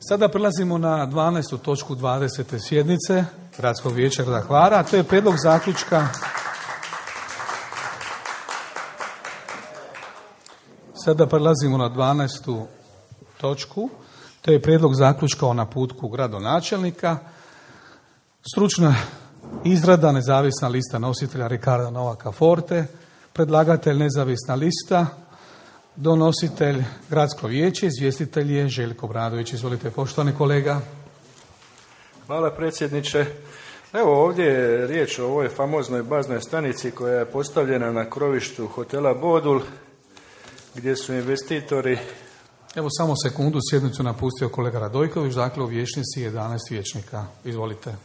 Sada prelazimo na 12. točku 20. sjednice Gradskog vijeća grada Hvara, a to je prijedlog zaključka. Sada prelazimo na 12. točku, to je prijedlog zaključka o naputku gradonačelnika. Stručna izrada, nezavisna lista nositelja Ricarda Novaka Forte, predlagatelj nezavisna lista, donositelj Gradsko vijeće, izvjestitelj je Željko Obradović. Izvolite, poštovani kolega. Hvala predsjedniče. Evo ovdje je riječ o ovoj famoznoj baznoj stanici koja je postavljena na krovištu hotela Bodul, gdje su investitori... Evo samo sekundu, sjednicu napustio kolega Radojković, dakle u vijećnici 11 vijećnika. Izvolite.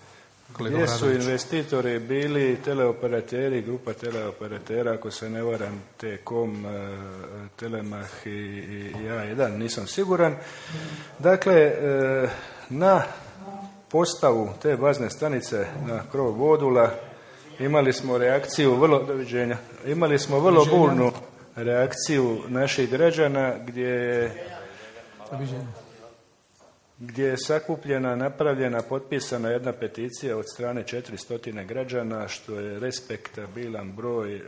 Gdje su investitori bili teleoperateri, grupa teleoperatera, ako se ne varam, T-Com, Telemach i A1, nisam siguran. Dakle, na postavu te bazne stanice na krov Bodula imali smo reakciju vrlo burnu reakciju naših građana gdje je sakupljena, napravljena, potpisana jedna peticija od strane 400 građana, što je respektabilan broj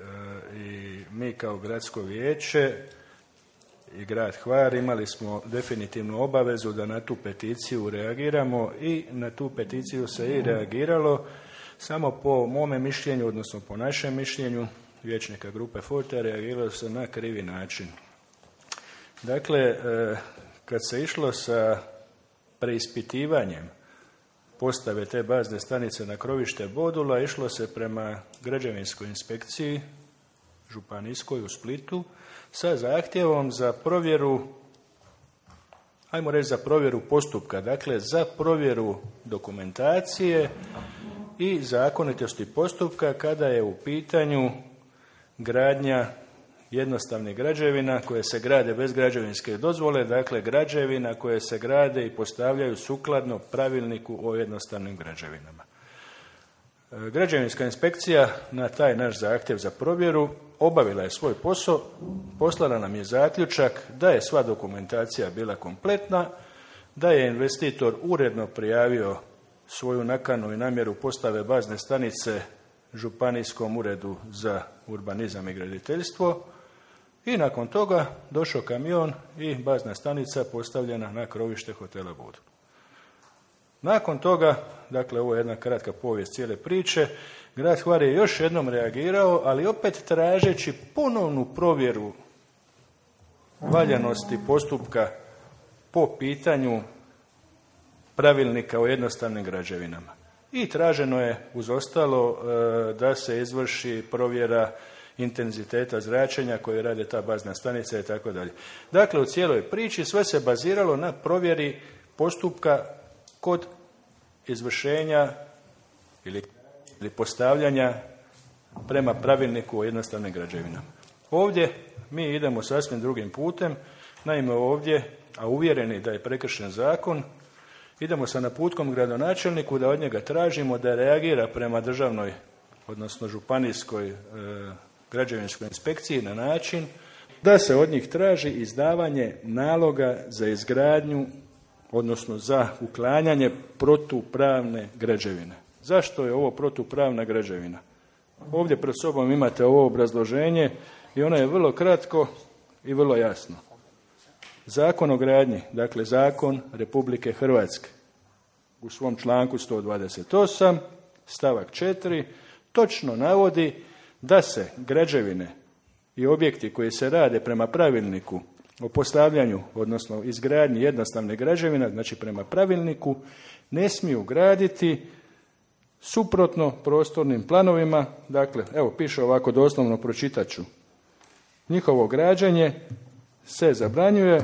i mi kao gradsko vijeće i grad Hvar imali smo definitivnu obavezu da na tu peticiju reagiramo i na tu peticiju se i reagiralo, samo po mome mišljenju, odnosno po našem mišljenju vijećnika grupe Forte, reagiralo se na krivi način. Dakle, kad se išlo sa preispitivanjem postave te bazne stanice na krovište Bodula, išlo se prema građevinskoj inspekciji županijskoj u Splitu sa zahtjevom za provjeru, ajmo reći za provjeru postupka, dakle za provjeru dokumentacije i zakonitosti postupka kada je u pitanju gradnja jednostavnih građevina koje se grade bez građevinske dozvole, dakle građevina koje se grade i postavljaju sukladno pravilniku o jednostavnim građevinama. Građevinska inspekcija na taj naš zahtjev za provjeru obavila je svoj posao, poslala nam je zaključak da je sva dokumentacija bila kompletna, da je investitor uredno prijavio svoju nakanu i namjeru postave bazne stanice Županijskom uredu za urbanizam i graditeljstvo i nakon toga došao kamion i bazna stanica postavljena na krovište hotela Bodul. Nakon toga, dakle ovo je jedna kratka povijest cijele priče, grad Hvar je još jednom reagirao, ali opet tražeći ponovnu provjeru valjanosti postupka po pitanju pravilnika o jednostavnim građevinama. I traženo je uz ostalo da se izvrši provjera intenziteta zračenja koje rade ta bazna stanica i tako dalje. Dakle, u cijeloj priči sve se baziralo na provjeri postupka kod izvršenja ili postavljanja prema pravilniku o jednostavnim građevinama. Ovdje mi idemo sasvim drugim putem. Naime, ovdje, a uvjereni da je prekršen zakon, idemo sa naputkom gradonačelniku da od njega tražimo da reagira prema državnoj, odnosno županijskoj građevinskoj inspekciji na način da se od njih traži izdavanje naloga za izgradnju, odnosno za uklanjanje protupravne građevine. Zašto je ovo protupravna građevina? Ovdje pred sobom imate ovo obrazloženje i ono je vrlo kratko i vrlo jasno. Zakon o gradnji, dakle zakon Republike Hrvatske, u svom članku 128, stavak 4, točno navodi da se građevine i objekti koji se rade prema pravilniku o postavljanju, odnosno izgradnji jednostavne građevine, znači prema pravilniku, ne smiju graditi suprotno prostornim planovima. Dakle, evo piše ovako, doslovno pročitat ću. Njihovo građenje se zabranjuje,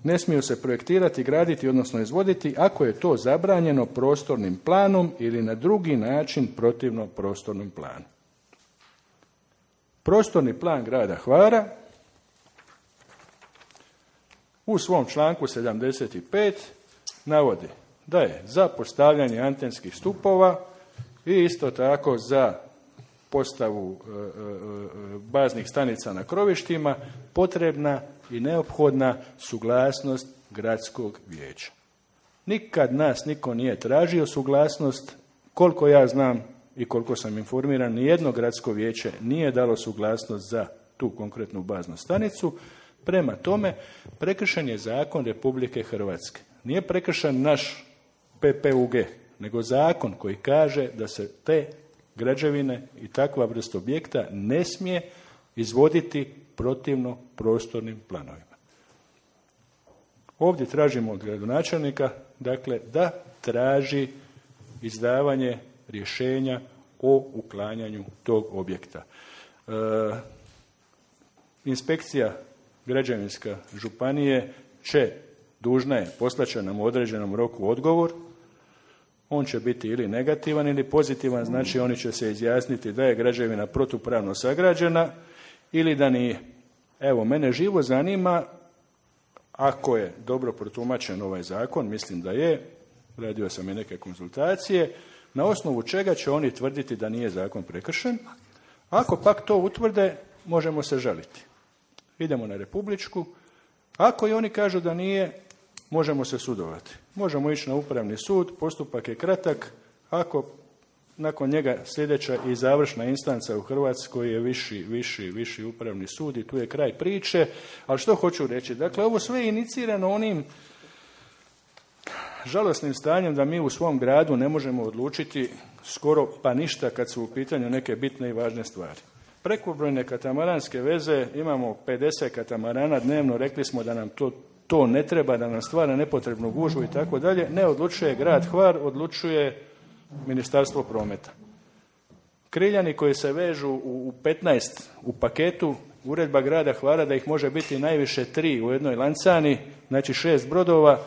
ne smiju se projektirati, graditi, odnosno izvoditi ako je to zabranjeno prostornim planom ili na drugi način protivno prostornom planu. Prostorni plan grada Hvara u svom članku 75 navodi da je za postavljanje antenskih stupova i isto tako za postavu baznih stanica na krovištima potrebna i neophodna suglasnost gradskog vijeća. Nikad nas niko nije tražio suglasnost, koliko ja znam i koliko sam informiran, nijedno gradsko vijeće nije dalo suglasnost za tu konkretnu baznu stanicu. Prema tome, prekršen je zakon Republike Hrvatske. Nije prekršen naš PPUG, nego zakon koji kaže da se te građevine i takva vrst objekta ne smije izvoditi protivno prostornim planovima. Ovdje tražimo od gradonačelnika, dakle, da traži izdavanje rješenja o uklanjanju tog objekta. Inspekcija građevinska županije dužna je poslaće nam u određenom roku odgovor. On će biti ili negativan ili pozitivan, znači oni će se izjasniti da je građevina protupravno sagrađena ili da nije. Evo, mene živo zanima, ako je dobro protumačen ovaj zakon, mislim da je, radio sam i neke konzultacije, na osnovu čega će oni tvrditi da nije zakon prekršen. Ako pak to utvrde, možemo se žaliti. Idemo na republičku. Ako i oni kažu da nije, možemo se sudovati. Možemo ići na upravni sud, postupak je kratak. Ako nakon njega sljedeća i završna instanca u Hrvatskoj je viši upravni sud i tu je kraj priče. Ali što hoću reći? Dakle, ovo sve je inicirano onim žalosnim stanjem da mi u svom gradu ne možemo odlučiti skoro pa ništa kad su u pitanju neke bitne i važne stvari. Prekobrojne katamaranske veze, imamo 50 katamarana dnevno, rekli smo da nam to ne treba, da nam stvara nepotrebnu gužvu i tako dalje. Ne odlučuje grad Hvar, odlučuje Ministarstvo prometa. Kriljani koji se vežu u 15 u paketu, uredba grada Hvara da ih može biti najviše 3 u jednoj lancani, znači 6 brodova,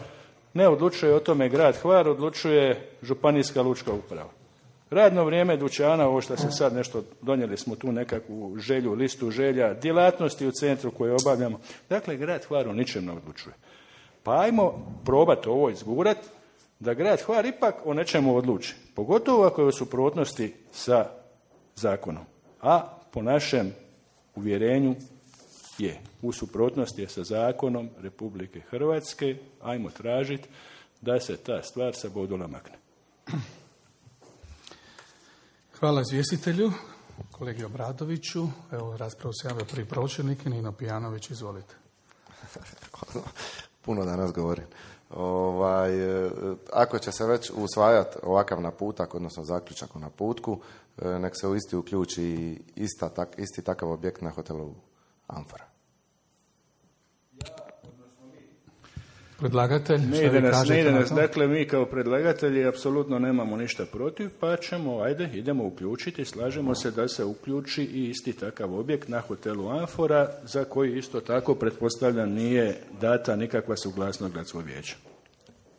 ne odlučuje o tome grad Hvar, odlučuje županijska lučka uprava. Radno vrijeme dućana, ovo što se sad nešto, donijeli smo tu nekakvu želju, listu želja, djelatnosti u centru koje obavljamo. Dakle, grad Hvar o ničem ne odlučuje. Pa ajmo probati ovo izgurati, da grad Hvar ipak o nečemu odluči. Pogotovo ako je u suprotnosti sa zakonom. A po našem uvjerenju je. U suprotnosti je sa zakonom Republike Hrvatske. Ajmo tražiti da se ta stvar sa bodula makne. Hvala izvjestitelju, kolegi Obradoviću. Evo, raspravu se javio prvi pročelnik, Nino Pijanović, izvolite. Puno danas govorim. Ako će se već usvajati ovakav naputak, odnosno zaključak o naputku, nek se u isti uključi isti takav objekt na hotelu Amfora. Predlagatelj, ne ide nas. Dakle, mi kao predlagatelji apsolutno nemamo ništa protiv, pa idemo uključiti, slažemo se da se uključi i isti takav objekt na hotelu Amfora, za koji isto tako, pretpostavljam, nije data nikakva suglasnost gradskog vijeća.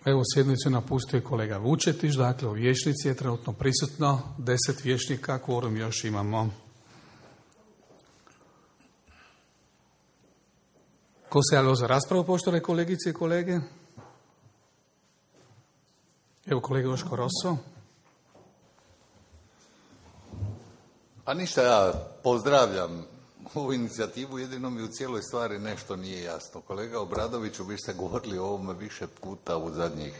Evo, sjednicu napustio kolega Vučetić, dakle u vijećnici je trenutno prisutno 10 vijećnika, kvorum još imamo. Ko se javio za raspravu, poštovane kolegice i kolege? Evo kolega Joško Rosso. A ništa, ja pozdravljam ovu inicijativu, jedino mi u cijeloj stvari nešto nije jasno. Kolega Obradoviću, vi ste govorili o ovome više puta u zadnjih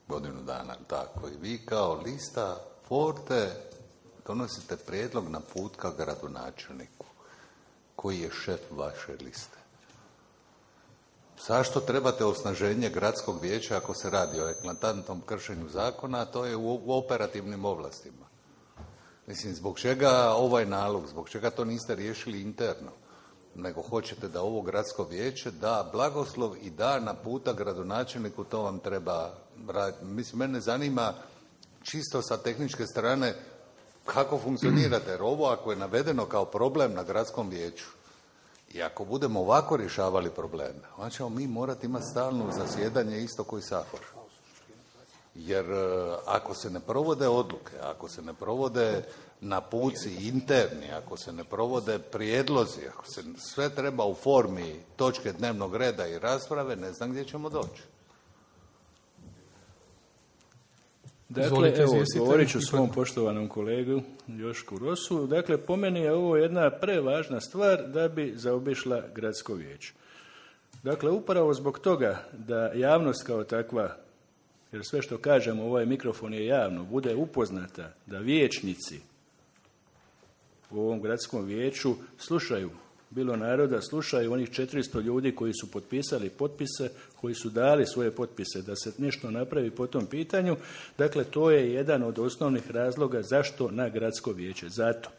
godinu dana, tako i vi kao lista Forte donosite prijedlog naputka gradonačelniku koji je šef vaše liste. Zašto trebate osnaženje gradskog vijeća ako se radi o eklatantnom kršenju zakona, a to je u operativnim ovlastima? Mislim, zbog čega ovaj nalog, zbog čega to niste riješili interno, nego hoćete da ovo gradsko vijeće da blagoslov i da naputak gradonačelniku, to vam treba raditi. Mislim, mene zanima čisto sa tehničke strane kako funkcionirate, jer ovo ako je navedeno kao problem na gradskom vijeću, i ako budemo ovako rješavali probleme, onda ćemo mi morati imati stalno zasjedanje isto koji Sabor. Jer ako se ne provode odluke, ako se ne provode napuci interni, ako se ne provode prijedlozi, ako se sve treba u formi točke dnevnog reda i rasprave, ne znam gdje ćemo doći. Dakle, evo, govorit ću svom poštovanom kolegu Jošku Rosu. Dakle, po meni je ovo jedna prevažna stvar da bi zaobišla gradsko vijeće. Dakle, upravo zbog toga da javnost kao takva jer sve što kažemo, ovaj mikrofon je javno, bude upoznata da vijećnici u ovom gradskom vijeću slušaju, bilo naroda, slušaju onih 400 ljudi koji su potpisali potpise, koji su dali svoje potpise da se nešto napravi po tom pitanju. Dakle, to je jedan od osnovnih razloga zašto na gradsko vijeće. Zato,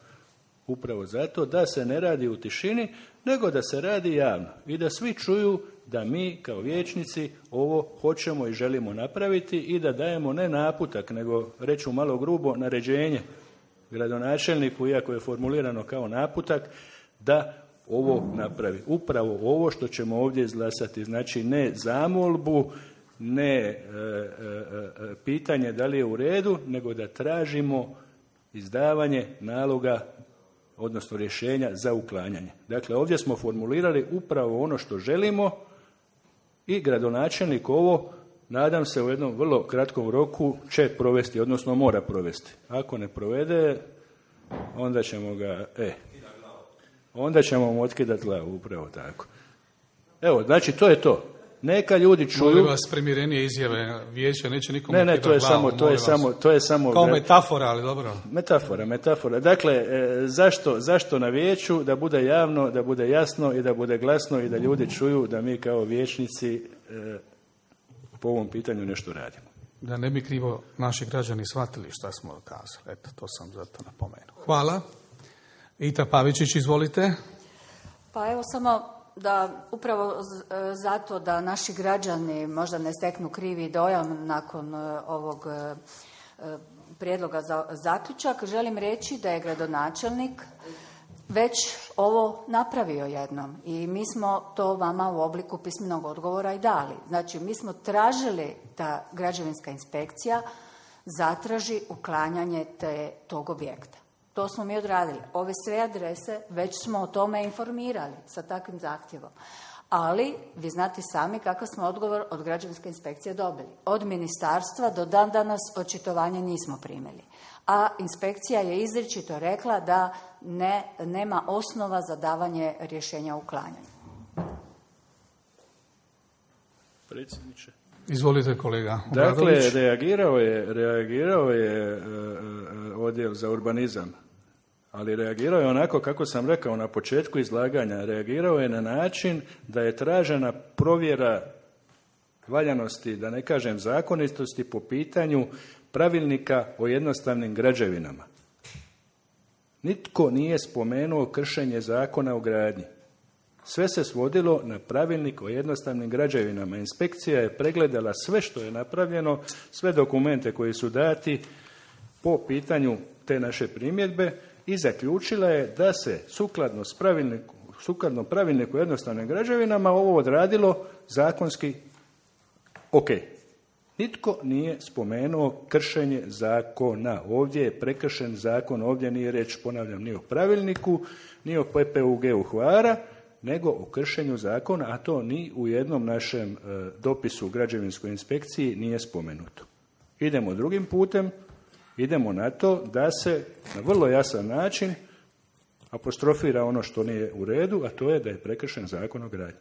upravo zato da se ne radi u tišini, nego da se radi javno i da svi čuju da mi kao vijećnici ovo hoćemo i želimo napraviti i da dajemo ne naputak, nego, reću malo grubo, naređenje gradonačelniku, iako je formulirano kao naputak, da ovo napravi. Upravo ovo što ćemo ovdje izglasati, znači ne zamolbu, ne pitanje da li je u redu, nego da tražimo izdavanje naloga, odnosno rješenja za uklanjanje. Dakle, ovdje smo formulirali upravo ono što želimo i gradonačelnik ovo, nadam se, u jednom vrlo kratkom roku će provesti, odnosno mora provesti. Ako ne provede, onda ćemo ga, onda ćemo mu otkidati glavu, upravo tako. Evo, znači to je to. Neka ljudi čuju. Molim vas, primjerenije izjave vijeća, neće nikom Ne, to je samo kao metafora, ali dobro. Metafora. Dakle, zašto na vijeću? Da bude javno, da bude jasno i da bude glasno i da ljudi čuju da mi kao vijećnici po ovom pitanju nešto radimo. Da ne bi krivo naši građani shvatili šta smo kazali. Eto, to sam zato napomenuo. Hvala. Ita Pavičić, izvolite. Pa evo samo da upravo zato da naši građani možda ne steknu krivi dojam nakon ovog prijedloga za zaključak, želim reći da je gradonačelnik već ovo napravio jednom i mi smo to vama u obliku pismenog odgovora i dali. Znači, mi smo tražili da građevinska inspekcija zatraži uklanjanje tog objekta. To smo mi odradili. Ove sve adrese već smo o tome informirali sa takvim zahtjevom. Ali vi znate sami kakav smo odgovor od građevinske inspekcije dobili. Od ministarstva do dan danas očitovanje nismo primili. A inspekcija je izričito rekla da nema osnova za davanje rješenja o uklanjanju. Predsjedniče. Izvolite, kolega. Dakle, reagirao je odjel za urbanizam, ali reagirao je onako kako sam rekao na početku izlaganja. Reagirao je na način da je tražena provjera valjanosti, da ne kažem zakonitosti, po pitanju pravilnika o jednostavnim građevinama. Nitko nije spomenuo kršenje zakona o gradnji. Sve se svodilo na pravilnik o jednostavnim građevinama. Inspekcija je pregledala sve što je napravljeno, sve dokumente koji su dati po pitanju te naše primjedbe i zaključila je da se sukladno pravilniku o jednostavnim građevinama ovo odradilo zakonski ok. Nitko nije spomenuo kršenje zakona. Ovdje je prekršen zakon, ovdje nije riječ, ponavljam, ni o pravilniku, ni o PPUG-u Hvara, nego o kršenju zakona, a to ni u jednom našem dopisu u građevinskoj inspekciji nije spomenuto. Idemo drugim putem, idemo na to da se na vrlo jasan način apostrofira ono što nije u redu, a to je da je prekršen zakon o gradnji.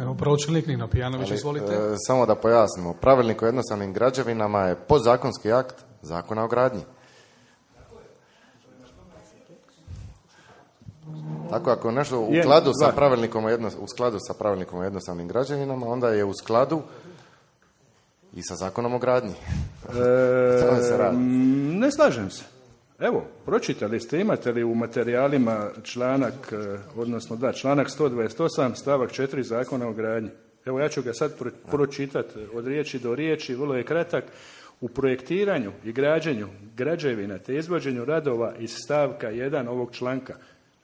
Evo, pročelnik Nino Pijanović, izvolite. Samo da pojasnimo, pravilnik o jednostavnim građevinama je podzakonski akt zakona o gradnji. Tako ako je nešto u skladu sa pravilnikom o jednostavnim građevinama, onda je u skladu i sa zakonom o gradnji. Ne slažem se. Evo, pročitali ste, imate li u materijalima članak 128 stavak 4 zakona o gradnji. Evo, ja ću ga sad pročitati od riječi do riječi, vrlo je kratak. U projektiranju i građenju građevina te izvođenju radova iz stavka 1 ovog članka,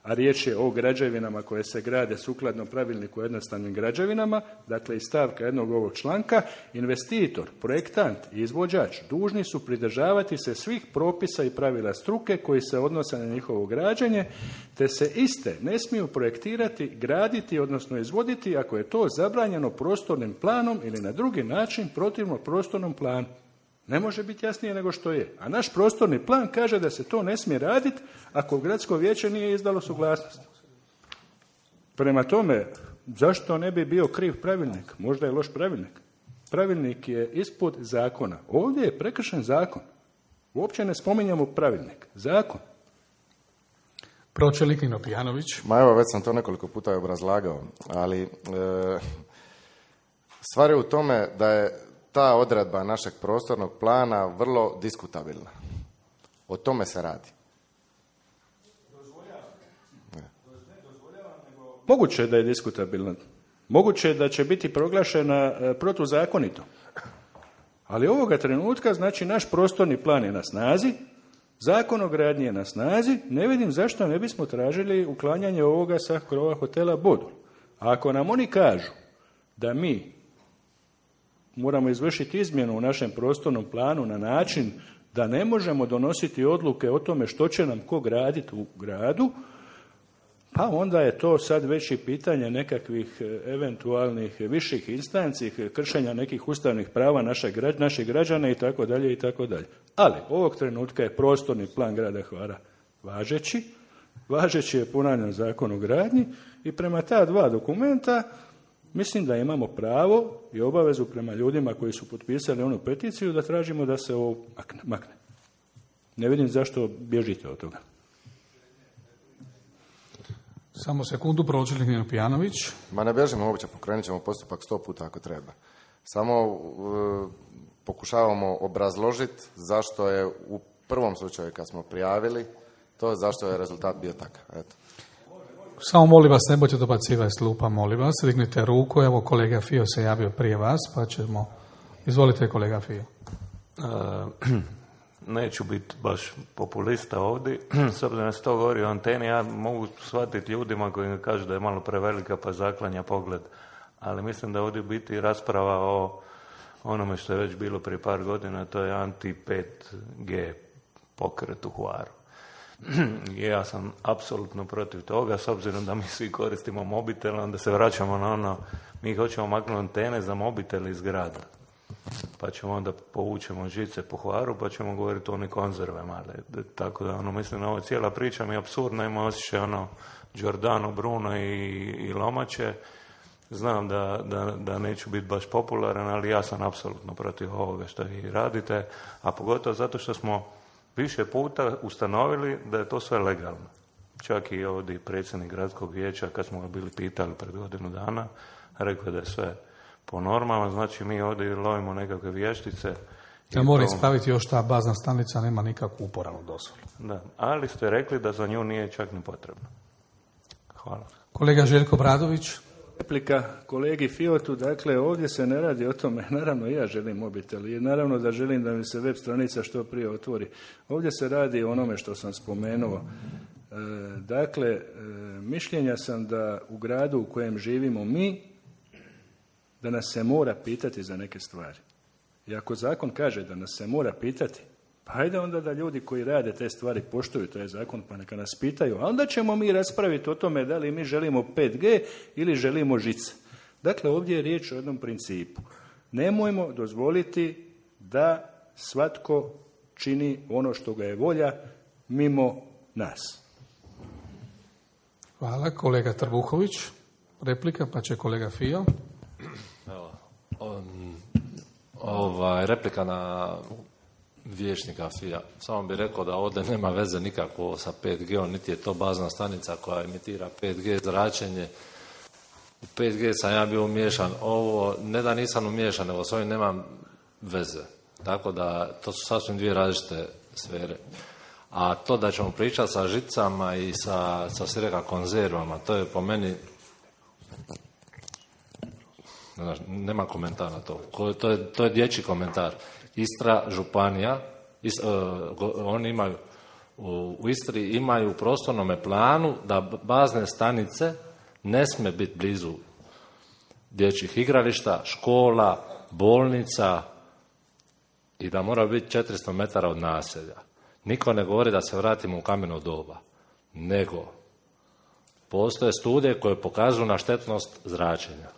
a riječ je o građevinama koje se grade sukladno pravilniku o jednostavnim građevinama, dakle iz stavka 1 ovog članka, investitor, projektant i izvođač dužni su pridržavati se svih propisa i pravila struke koji se odnose na njihovo građenje, te se iste ne smiju projektirati, graditi, odnosno izvoditi ako je to zabranjeno prostornim planom ili na drugi način protivno prostornom planu. Ne može biti jasnije nego što je. A naš prostorni plan kaže da se to ne smije raditi ako gradsko vijeće nije izdalo suglasnost. Prema tome, zašto ne bi bio kriv pravilnik? Možda je loš pravilnik. pravilnik je ispod zakona. Ovdje je prekršen zakon. Uopće ne spominjamo pravilnik. Zakon. Pročelnik Nino Pijanović. Ma evo, već sam to nekoliko puta obrazlagao, ali stvar je u tome da je ta odredba našeg prostornog plana vrlo diskutabilna. O tome se radi. Moguće je da je diskutabilna. Moguće je da će biti proglašena protuzakonito. Ali ovoga trenutka, znači, naš prostorni plan je na snazi, Zakon o gradnji je na snazi, ne vidim zašto ne bismo tražili uklanjanje ovoga sa krova hotela Bodul. A ako nam oni kažu da mi moramo izvršiti izmjenu u našem prostornom planu na način da ne možemo donositi odluke o tome što će nam ko graditi u gradu, pa onda je to sad već i pitanje nekakvih eventualnih viših instanci, kršenja nekih ustavnih prava naših građana i tako dalje i tako dalje. Ali ovog trenutka je prostorni plan grada Hvara važeći je ponavljam Zakon o gradnji i prema ta dva dokumenta mislim da imamo pravo i obavezu prema ljudima koji su potpisali onu peticiju da tražimo da se ovo makne. Ne vidim zašto bježite od toga. Samo sekundu, pročelnik Nino Pijanović. Ma ne bježimo uopće, pokrenut ćemo postupak 100 puta ako treba. Samo pokušavamo obrazložiti zašto je u prvom slučaju kad smo prijavili, to zašto je rezultat bio takav. Eto. Samo molim vas, ne bojte dobacivati s klupa, molim vas. Dignite ruku, evo kolega Fio se javio prije vas, pa ćemo... Izvolite kolega Fio. Neću biti baš populista ovdje, s obzirom da se to govori o anteni, ja mogu shvatiti ljudima koji kažu da je malo prevelika pa zaklanja pogled, ali mislim da ovdje biti rasprava o onome što je već bilo prije par godina, to je anti-5G pokret u Hvaru. Ja sam apsolutno protiv toga, s obzirom da mi svi koristimo mobitel, onda se vraćamo na ono, mi hoćemo maknuti antene za mobitel iz grada. Pa ćemo onda povučemo žice po Hvaru, pa ćemo govoriti o onim konzervama. Tako da, mislim, ovo cijela priča mi je apsurdna, ima osjećaj Giordano Bruno i Lomače. Znam da neću biti baš popularan, ali ja sam apsolutno protiv ovoga što vi radite, a pogotovo zato što smo više puta ustanovili da je to sve legalno. Čak i ovdje predsjednik gradskog vijeća, kad smo ga bili pitali pred godinu dana, rekao da je sve po normama, znači mi ovdje lovimo nekakve vještice. Ja moram ispraviti još, ta bazna stanica nema nikakvu uporabnu dozvolu. Da, ali ste rekli da za nju nije čak ni potrebno. Hvala. Kolega Željko Bradović. Replika kolegi Fiotu, dakle ovdje se ne radi o tome, naravno ja želim mobitel i naravno da želim da mi se web stranica što prije otvori. Ovdje se radi o onome što sam spomenuo. Dakle, mišljenja sam da u gradu u kojem živimo mi, da nas se mora pitati za neke stvari. I ako zakon kaže da nas se mora pitati, pa ajde onda da ljudi koji rade te stvari poštuju taj zakon, pa neka nas pitaju, a onda ćemo mi raspraviti o tome da li mi želimo 5G ili želimo žice. Dakle, ovdje je riječ o jednom principu. Nemojmo dozvoliti da svatko čini ono što ga je volja mimo nas. Hvala. Kolega Trbuhović. Replika, pa će kolega Fio. Replika na vijećnika Fija. Samo bih rekao da ovdje nema veze nikako sa 5G-om, niti je to bazna stanica koja emitira 5G zračenje. U 5G sam ja bio umiješan. Ovo, ne da nisam umiješan, nego s ovim nemam veze. Tako da, to su sasvim dvije različite sfere. A to da ćemo pričati sa žicama i sa sireka konzervama, to je po meni... Nema komentara na to. To je dječji komentar. Istra, županija, oni imaju u Istri imaju u prostornome planu da bazne stanice ne smije biti blizu dječjih igrališta, škola, bolnica i da mora biti 400 metara od naselja. Niko ne govori da se vratimo u kameno doba, nego postoje studije koje pokazuju na štetnost zračenja.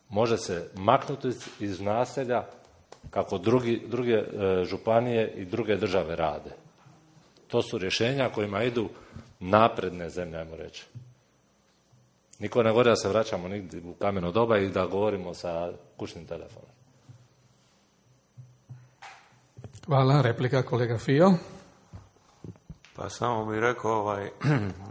Može se maknuti iz naselja kako druge županije i druge države rade. To su rješenja kojima idu napredne zemlje, ajmo reći. Niko ne govori da se vraćamo nigdje u kameno doba i da govorimo sa kućnim telefonom. Hvala. Replika kolega Fio. Pa samo bih rekao,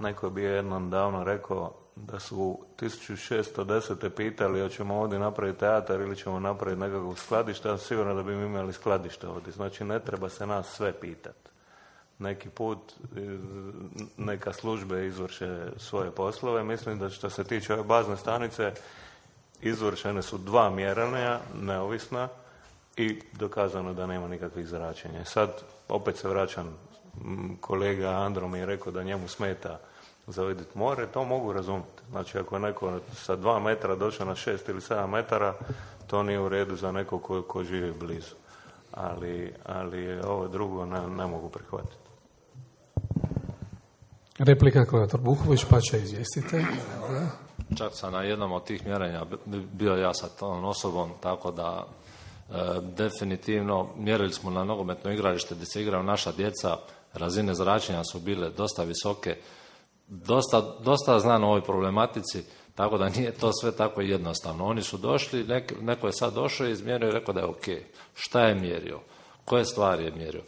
neko bi jednom davno rekao da su 1610. pitali hoćemo ovdje napraviti teatar ili ćemo napraviti nekakvo skladište, a sigurno da bi mi imali skladište ovdje. Znači ne treba se nas sve pitati. Neki put neka službe izvrše svoje poslove. Mislim da što se tiče ove bazne stanice izvršene su 2 mjerenja neovisna i dokazano da nema nikakvih zračenja. Sad opet se vraćam, kolega Andro mi je rekao da njemu smeta za vidjeti more, to mogu razumjeti. Znači ako je neko sa 2 metra došao na 6 ili 7 metara, to nije u redu za neko ko živi blizu. Ali ovo drugo ne mogu prihvatiti. Replika kolega Trbuhović, pa će izvijestite. Čak sam na jednom od tih mjerenja bio ja sa tom osobom, tako da definitivno mjerili smo na nogometno igralište gdje se igraju naša djeca, razine zračenja su bile dosta visoke, dosta znam o ovoj problematici, tako da nije to sve tako jednostavno. Oni su došli, neko je sad došao i izmjerio i rekao da je ok. Šta je mjerio? Koje stvari je mjerio?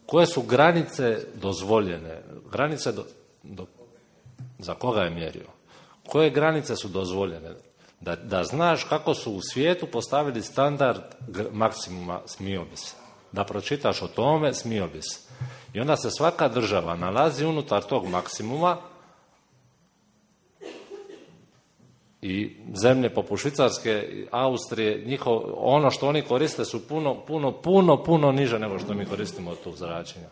Koje su granice dozvoljene? Granice za koga je mjerio? Koje granice su dozvoljene? Da znaš kako su u svijetu postavili standard maksimuma, smio bi se. Da pročitaš o tome, smio bi se. I onda se svaka država nalazi unutar tog maksimuma i zemlje poput Švicarske, Austrije, ono što oni koriste su puno niže nego što mi koristimo od tog zračenja.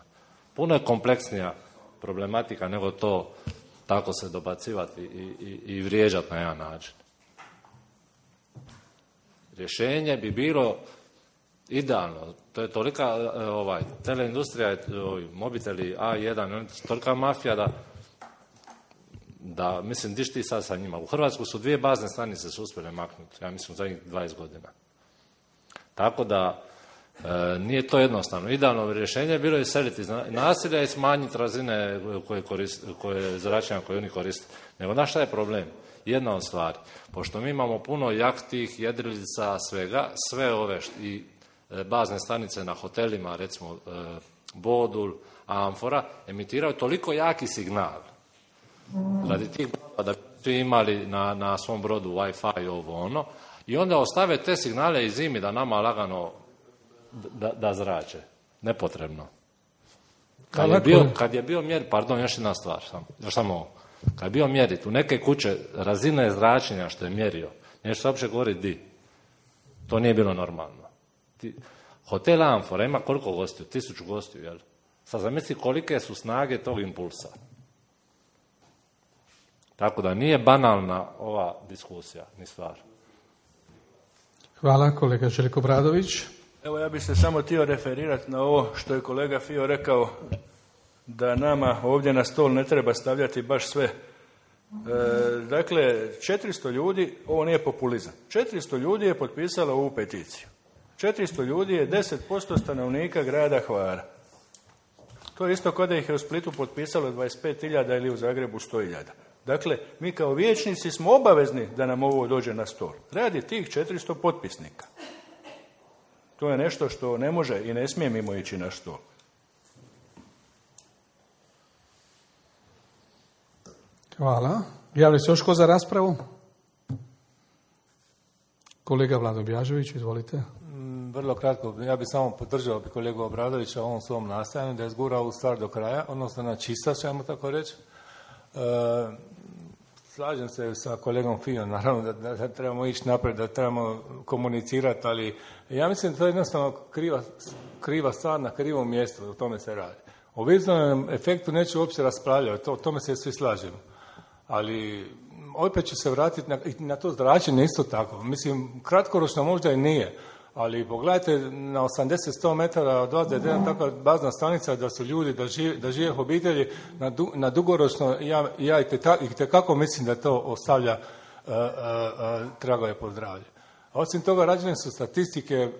Puno je kompleksnija problematika nego to tako se dobacivati i vrijeđati na jedan način. Rješenje bi bilo idealno. To je tolika teleindustrija, mobiteli A1, tolika mafija da mislim, diš ti sad sa njima. U Hrvatsku su 2 bazne stanice su uspjele maknuti, ja mislim, zadnjih 20 godina. Tako da nije to jednostavno. Idealno rješenje je bilo iseliti naselja i smanjiti razine koje zračenja koje oni koriste. Nego znaš šta je problem? Jedna od stvari. Pošto mi imamo puno jahtih, jedrilica, svega, sve ove i bazne stanice na hotelima, recimo Bodul, Amfora, emitiraju toliko jaki signal. Radi tih brodova da bi imali na svom brodu Wi-Fi i ovo ono, i onda ostave te signale i zimi da nama lagano da zrače. Nepotrebno. Kad je bio mjer, pardon, još jedna stvar, kad je bio mjeriti u neke kuće razine zračenja što je mjerio, neću se uopće govoriti di. To nije bilo normalno. Hotel Amfora ima koliko gostiju? 1000 gostiju, jel? Sad zamisli kolike su snage tog impulsa. Tako da nije banalna ova diskusija, ni stvar. Hvala, kolega Željko Bradović. Evo, ja bih se samo htio referirati na ovo što je kolega Fio rekao, da nama ovdje na stol ne treba stavljati baš sve. Dakle, 400 ljudi, ovo nije populizam, 400 ljudi je potpisalo ovu peticiju. 400 ljudi je 10% stanovnika grada Hvara. To je isto kao da ih je u Splitu potpisalo 25.000 ili u Zagrebu 100.000. Dakle, mi kao vijećnici smo obavezni da nam ovo dođe na stol. Radi tih 400 potpisnika. To je nešto što ne može i ne smije mimo ići na stol. Hvala. Javlja se još ko za raspravu? Kolega Vlado Bjažević, izvolite. Vrlo kratko, ja bih samo podržao kolegu Obradovića u ovom svom nastajanju da je zgurao ovu stvar do kraja, odnosno na čistac, ćemo tako reći. Slažem se sa kolegom Fijom, naravno da trebamo ići naprijed, da trebamo komunicirati, ali ja mislim da to je jednostavno kriva stvar na krivom mjestu, o tome se radi. O vizualnom efektu neću uopće raspravljati, o tome se svi slažemo. Ali opet ću se vratiti na to zračenje isto tako. Mislim, kratkoročno možda i nije, ali pogledajte na 80-100 metara od ovdje jedna takva bazna stanica da su ljudi, da žive obitelji, na dugoročno ja itekako mislim da to ostavlja tragove po zdravlje. Osim toga, rađene su statistike,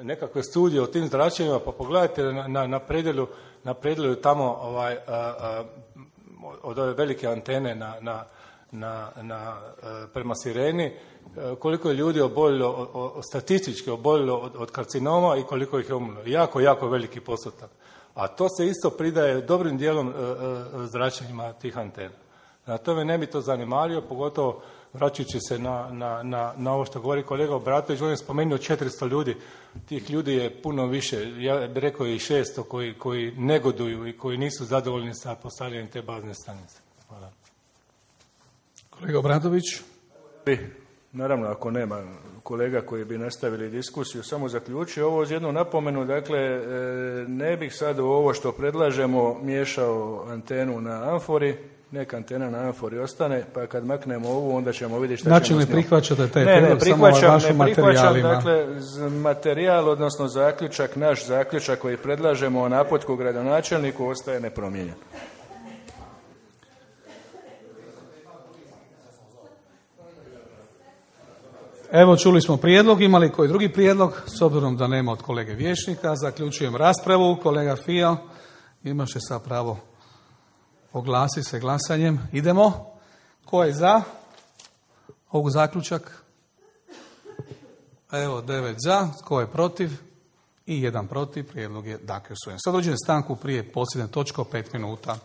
nekakve studije o tim zračenjima, pa pogledajte na predjelu tamo od ove velike antene prema Sireni, koliko je ljudi statistički oboljelo od karcinoma i koliko ih je umrlo. Jako, jako veliki postotak. A to se isto pridaje dobrim dijelom zračenjima tih antena. Na tome ne bi to zanemario, pogotovo vraćajući se na ovo što govori kolega Obratović. On je spomenuo 400 ljudi. Tih ljudi je puno više. Ja bih rekao i 600 koji negoduju i koji nisu zadovoljni sa postavljanjem te bazne stanice. Hvala. Kolega Obratović. Naravno, ako nema kolega koji bi nastavili diskusiju, samo zaključio ovo uz jednu napomenu. Dakle, ne bih sad u ovo što predlažemo miješao antenu na amfori. Neka antena na amfori ostane, pa kad maknemo ovu, onda ćemo vidjeti šta znači, ćemo s njom. Znači ne prihvaćate taj prijedlog, samo vašim materijalima? Dakle, materijal, odnosno zaključak, naš zaključak koji predlažemo o naputku gradonačelniku ostaje nepromijenjen. Evo, čuli smo prijedlog, imali koji drugi prijedlog? S obzirom da nema od kolege vijećnika, zaključujem raspravu. Kolega Fio, imaše sad pravo oglasi se glasanjem. Idemo. Ko je za ovog zaključak? Evo, 9 za. Ko je protiv? I 1 protiv. Prijedlog je dakle usvojen. Sad dođem stanku prije posljednje točke 5 minuta.